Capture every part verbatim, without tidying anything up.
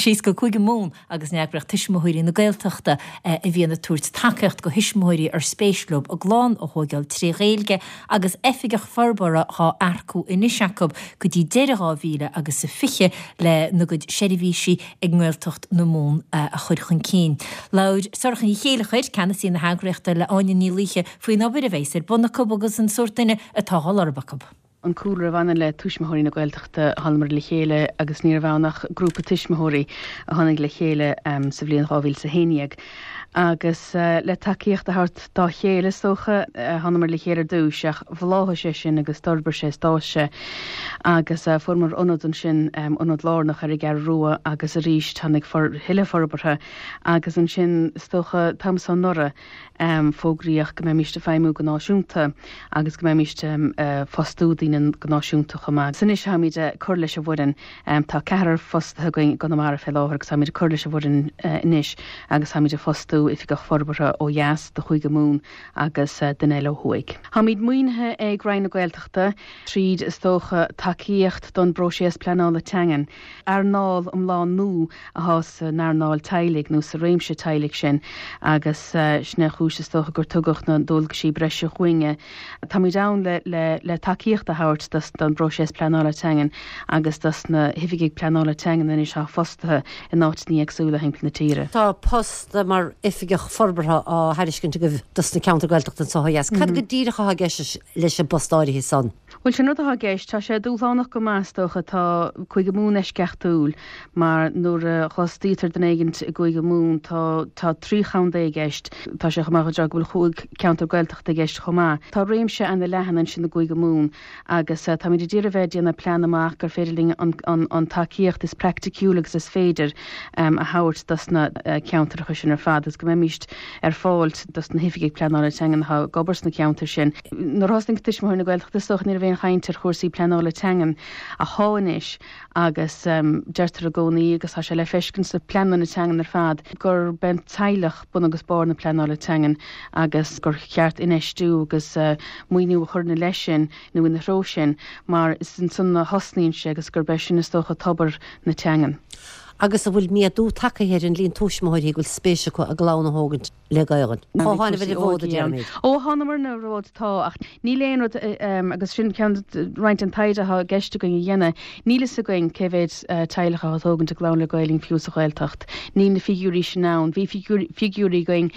Síos go Cúige Mumhan agus an eagraíocht Tuismitheoirí na Gaeltachta a bhíonn ag tabhairt tacaíocht do thuismitheoirí ar spéis leo a gclann a thógáil trí Ghaeilge agus oifigeach forbartha á earcú anois acu go dtí deireadh dhá mhíle agus a fiche lena gcuid seirbhísí ag nGaeltacht na Mumhan a chur chun cinn. Labhair Sorcha Ní Chéilleachair, ceannasaí na heagraíochta le Áine Ní Laoithe faoin obair a bheas ar bun acu agus an sórt duine atá á lorg acu. An cúlra a bhaineann le Tuismitheoirí na Gaeltachta thánamar le chéile agus ní raibh ann ach grúpa tuismitheoirí a tháinig le chéile um, sa bhliain dhá mhíle a haon déag. Agus uh, le tacaíocht a thabhairt dá chéile is dócha uh, thánamar le chéile ar dtús ach bhláthaigh sé sin agus d'fhorbair sé d'fhás sé agus uh, fuaireamar ionad ansin um, ionad lárnach ar an gCeathrú Rua agus arís tháinig for, thuilleadh forbartha agus ansin is dócha an t-am seo anuraidh um, fógraíodh go mbeimís ag feidhmiú go náisiúnta agus go mbeimís um, uh, fostú daoine go náisiúnta chomh maith. Anois táimid ag cur leis an bhfoireann um, tá ceathrar fostaithe againn i gConamara fé láthair agus táimid ag cur leis an bhfoireann uh, anois agus táimid ag fostú oifigeach forbartha ó dheas do Chúige Mumhan agus uh, duine eile ó thuaidh. Táimid maoinithe ag Roinn na Gaeltachta tríd is dócha tacaíocht don bpróiseas pleanála teangan. Earnáil iomlán nua atá san earnáil teaghlaigh nó sa réimse teaghlaigh sin agus uh, sin an chúis is dócha gur tugadh na dualgaisí breise chugainne. Táimid ann le, le, le tacaíocht a thabhairt dos don bpróiseas pleanála teangan agus dos na hoifigigh pleanála teangan anois atá fostaithe in áiteanna éagsúla timpeall na tíre. Tá post mar oifigeach forbartha á thairiscint agaibh dos na ceantair Gaeltachta anseo ó dheas. Cad go díreach atá i gceist leis an bpost áirithe san? Bhuel sin rud atá i gceist tá sé dúshlánach go maith is dócha tá Cúige Mumhan eisceachtúil mar nuair a fhostaítear duine éigin i gCúige Mumhan tá tá trí chontae i gceist tá sé chomh maith go bhfuil cúig ceantar Gaeltachta i gceist chomh maith. Tá réimse an-leathan ansin i gCúige Mumhan agus uh, táimid ag iarraidh bheith déanamh plean amach gur féidir linn an, an, an tacaíocht is praiticiúla agus is féidir um, a thabhairt dos na uh, ceantracha sin ar fad agus go mbeimís ar fáil dos na hoifigigh pleanála teangan atá ag obair sna ceantair sin. Nuair a thosnaigh Tuismitheoirí na Gaeltachta is dócha ní raibh aon chaint ar chúrsaí pleanála teangan ach tá anois agus um, deirtear i gcónaí agus tá sé le feiscint sna pleananna teangan ar fad gurb é an teaghlach bun agus barr na pleanála teangan agus gur cheart infheistiú agus uh, maoiniú a chur ina leith sin nó ina threo sin mar is ansan a thosnaíonn sé agus gurb é sin is dócha tobar na teangan. Agus an bhfuil méadú tagtha ar an líon tuismitheoirí go bhfuil spéis acu a gclann a thógaint le Gaeilge. Ó tháinig an fód déarfainn. Ó thánamar ar an bhfód tá ach níl aon rud agus sin ceann roinnt an taighde atá i gceist againn a dhéanamh. Níl a fhios againn cé mhéad teaghlach atá ag tógaint a gclann le Gaeilge fiú sa Ghaeltacht. Níl na figiúirí sin ann, bhí figiúirí againn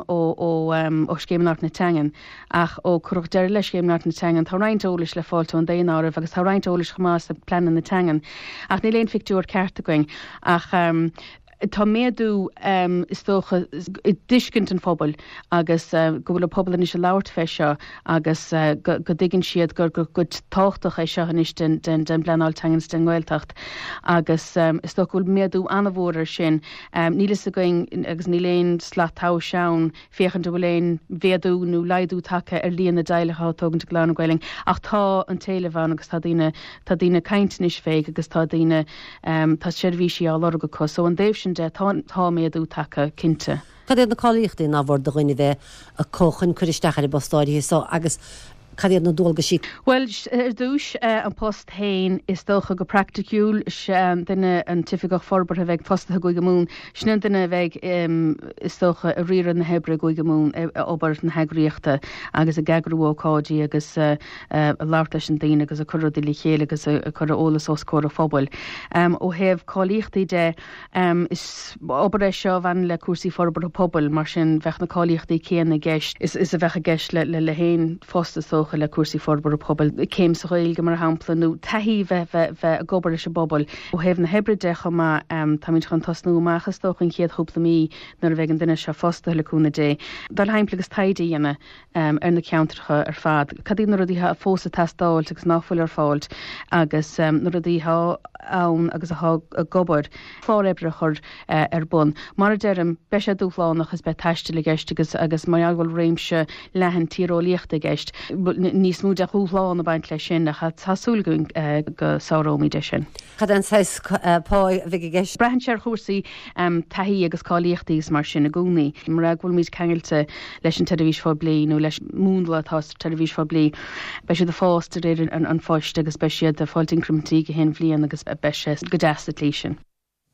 ó ó Scéim Labhairt na Teangan ach ó cuireadh deireadh le Scéim Labhairt na Teangan tá roinnt eolais le fáil ón daonáireamh agus tá roinnt eolais chomh maith sna pleananna teangan ach níl aon phictiúr ceart againn ach um, tá méadú um, is dócha i dtuiscint an phobail agus uh, go bhfuil an pobal anois ag labhairt fé seo agus uh, go, go dtuigeann siad gur gur go tábhachtach é seo anois den, den, den bpleanáil teangan den nGaeltacht agus um, is dócha go bhfuil méadú an-mhór ar sin um, níl a fhios againn agus níl aon slat tomhais ann féachaint bhfuil aon mhéadú nó laghdú tagtha ar líon na dteaghlach atá ag tógaint a gclann le Gaeilge ach tá an t-éileamh ann agus tá daoine tá daoine ag caint anois fé agus tá daoine um, tá seirbhísí á lorg acu so an dtaobh sin de tá tá méadú tagtha cinnte. Cad iad na cáilíochtaí nár mhór do dhuine bheith acu chun cur isteach ar an bpost áirithe so agus cad iad na dualgaisí. Well ar dtús uh, an post féin is dócha go praiticiúil an duine an t-oifigeach forbartha a bheidh fostaithe i gCúige Mumhan sin an duine a bheidh um, is dócha ag riaradh na hoibre i gCúige Mumhan obair na heagraíochta agus ag eagrú ócáidí agus uh, uh, labhairt leis an daoine agus ag cur rudaí le chéile agus ag cur eolas os comhair an phobail. Um, ó thaobh cáilíochtaí de um, is obair é seo a bhaineann le cúrsaí forbartha pobail mar sin bheadh na cáilíochtaí céanna i gceist is, is a bheadh i gceist le le le haon phost is dócha le cúrsaí forbartha pobail céim sa Ghaeilge mar shampla nó taithí bheith bheith bheith ag obair leis an bpobal ó thaobh na hoibre de chomh maith um, táimid chun tosnú amach is dócha an chéad chúpla mí nuair a bheidh an duine seo fostaithe le cúnamh Dé. Dul timpeall agus taighde a dhéanamh um, ar na ceantracha ar fad. Cad iad na rudaí atá fós ag teastáil agus nach bhfuil ar fáil agus um, na rudaí atá ann agus atá ag obair clár oibre a chur uh, ar bun. Mar a deirim beidh sé dúshlánach is beidh taisteal i gceist agus agus mar bhfuil réimse leathan tíreolaíochta i gceist níos mó de dhúshlán ag baint leis sin ach tá súil againn uh, go sáróimid é sin. Cad é an saghas pá a bheidh i gceist? Braitheann sé ar chúrsaí um, taithí agus cáilíochtaí mar sin i gcónaí. Mar go bhfuilmid ceangailte leis an tseirbhís phoiblí nó leis múnla atá sa tseirbhís phoiblí. Beidh siad ag fás de réir an, an phoist agus beidh siad ag fáil incrimintí gach aon bhliain agus beidh sé go deas sa tslí sin.